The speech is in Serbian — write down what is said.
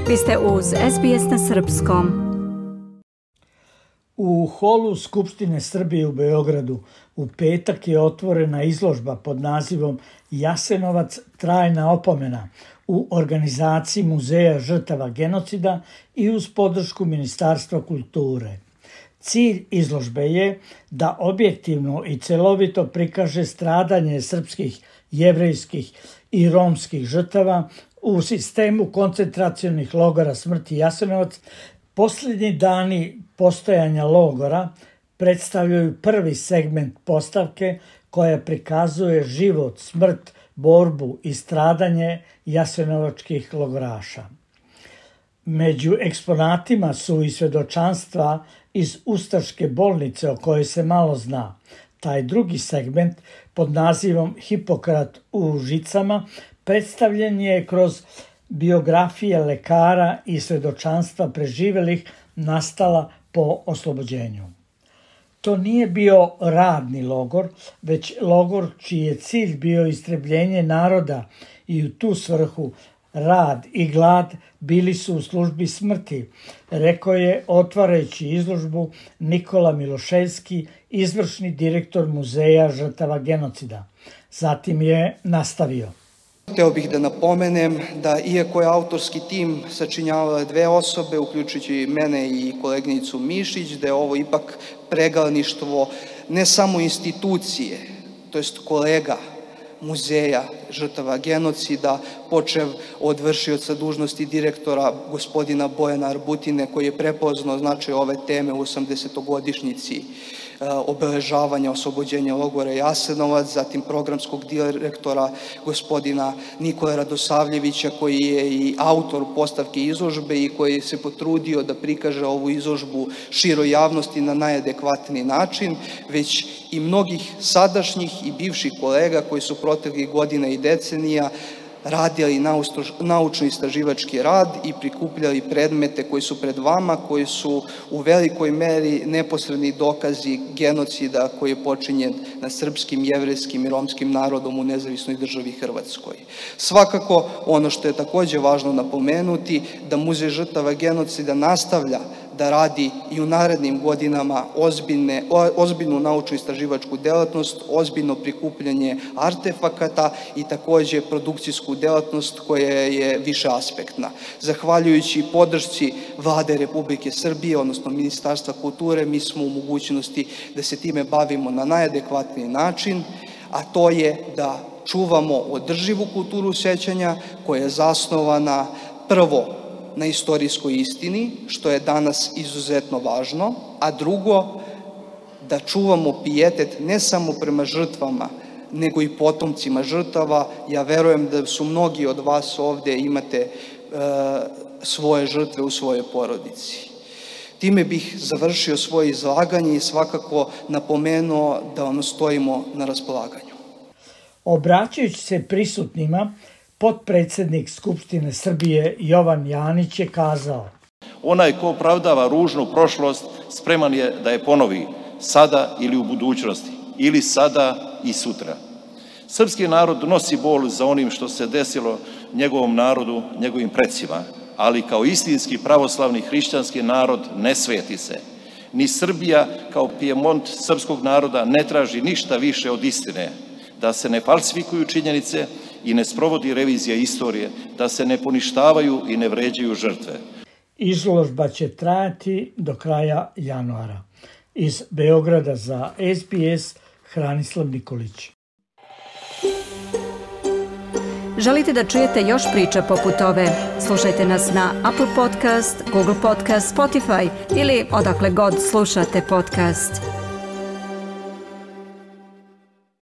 Vi ste uz SBS na srpskom. U holu Skupštine Srbije u Beogradu u petak je otvorena izložba pod nazivom Jasenovac trajna opomena u organizaciji Muzeja žrtava genocida i uz podršku Ministarstva kulture. Cilj izložbe je da objektivno i celovito prikaže stradanje srpskih, jevrejskih i romskih žrtava u sistemu koncentracionih logora smrti Jasenovac. Posljednji dani postojanja logora predstavljaju prvi segment postavke koja prikazuje život, smrt, borbu i stradanje jasenovačkih logoraša. Među eksponatima su i svedočanstva iz ustaške bolnice o kojoj se malo zna. Taj drugi segment pod nazivom Hipokrat u žicama predstavljen je kroz biografije lekara i svedočanstva preživelih nastala po oslobođenju. To nije bio radni logor, već logor čiji je cilj bio istrebljenje naroda i u tu svrhu rad i glad bili su u službi smrti, rekao je otvarajući izložbu Nikola Miloševski, izvršni direktor Muzeja žrtava genocida. Zatim je nastavio. Hteo bih da napomenem da iako je autorski tim sačinjavale dve osobe, uključujući mene i koleginicu Mišić, da je ovo ipak pregledništvo ne samo institucije, to jest kolega Muzeja žrtava genocida, počev od vršioca dužnosti direktora gospodina Bojana Arbutine, koji je prepoznao značaj ove teme u 80-godišnjici obeležavanja oslobođenja logora Jasenovac, zatim programskog direktora gospodina Nikole Radosavljevića, koji je i autor postavke izložbe i koji se potrudio da prikaže ovu izložbu široj javnosti na najadekvatniji način, već i mnogih sadašnjih i bivših kolega koji su proteklih godina i decenija radili naučno-istraživački rad i prikupljali predmete koji su pred vama, koji su u velikoj meri neposredni dokazi genocida koji je počinjen nad srpskim, jevrejskim i romskim narodom u nezavisnoj državi Hrvatskoj. Svakako, ono što je takođe važno napomenuti, da Muzej žrtava genocida nastavlja da radi i u narednim godinama ozbiljnu naučno-istraživačku delatnost, ozbiljno prikupljanje artefakata i takođe produkcijsku delatnost koja je više aspektna. Zahvaljujući podršci Vlade Republike Srbije, odnosno Ministarstva kulture, mi smo u mogućnosti da se time bavimo na najadekvatniji način, a to je da čuvamo održivu kulturu sećanja koja je zasnovana prvo na istorijskoj istini, što je danas izuzetno važno, a drugo, da čuvamo pijetet ne samo prema žrtvama, nego i potomcima žrtava. Ja verujem da su mnogi od vas ovde imate svoje žrtve u svojoj porodici. Time bih završio svoje izlaganje i svakako napomenuo da vam stojimo na raspolaganju. Obraćajući se prisutnima, potpredsednik Skupštine Srbije Jovan Janić je kazao: Onaj ko opravdava ružnu prošlost spreman je da je ponovi sada ili u budućnosti, ili sada i sutra. Srpski narod nosi bol za onim što se desilo njegovom narodu, njegovim precima, ali kao istinski pravoslavni hrišćanski narod ne sveti se. Ni Srbija kao Pijemont srpskog naroda ne traži ništa više od istine, da se ne falsifikuju činjenice i ne sprovodi revizija istorije, da se ne poništavaju i ne vređaju žrtve. Izložba će trajati do kraja januara. Iz Beograda za SBS, Hranislav Nikolić. Želite da čujete još priča poput ove? Slušajte nas na Apple Podcast, Google Podcast, Spotify ili odakle god slušate podcast.